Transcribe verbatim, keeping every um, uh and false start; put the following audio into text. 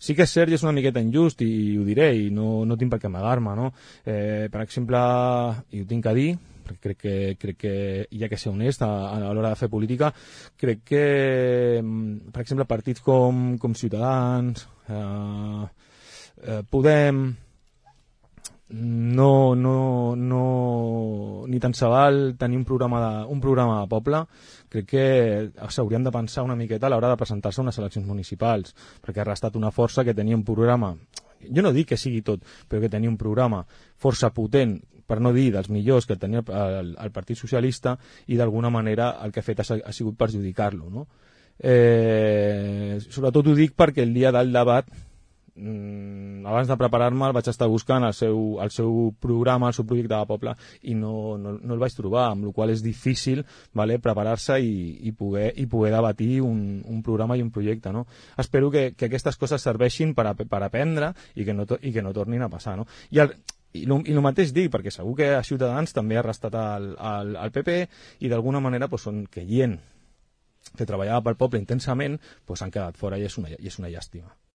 Sí que és cert i és una miqueta injust, i, i ho diré, i no, no tinc per què amagar-me, no? Eh, per exemple, i ho tinc a dir, perquè crec que, crec que hi ha que ser honest a, a l'hora de fer política, crec que, per exemple, partits com, com Ciutadans, eh, eh, Podem, no, no, no, ni tan se val tenir un programa de, un programa de poble. Crec que s'haurien de pensar una miqueta a l'hora de presentar-se a unes eleccions municipals, perquè ha restat una força que tenia un programa, jo no dic que sigui tot, però que tenia un programa força potent, per no dir dels millors que tenia el, el Partit Socialista, i d'alguna manera el que ha fet ha, ha sigut perjudicar-lo, no? Eh, sobretot ho dic perquè el dia del debat, abans de preparar-me el vaig estar buscant el seu, el seu programa, el seu projecte de poble, i no, no, no el vaig trobar, amb la qual cosa és difícil, vale, preparar-se i, i, poder, i poder debatir un, un programa i un projecte, no? Espero que, que aquestes coses serveixin per, a, per aprendre i que, no, i que no tornin a passar, no? I el, i el, i el mateix dic, perquè segur que a Ciutadans també ha restat el, el, el P P, i d'alguna manera pues, són que gent que treballava pel poble intensament, pues, han quedat fora, i és una, i és una llàstima.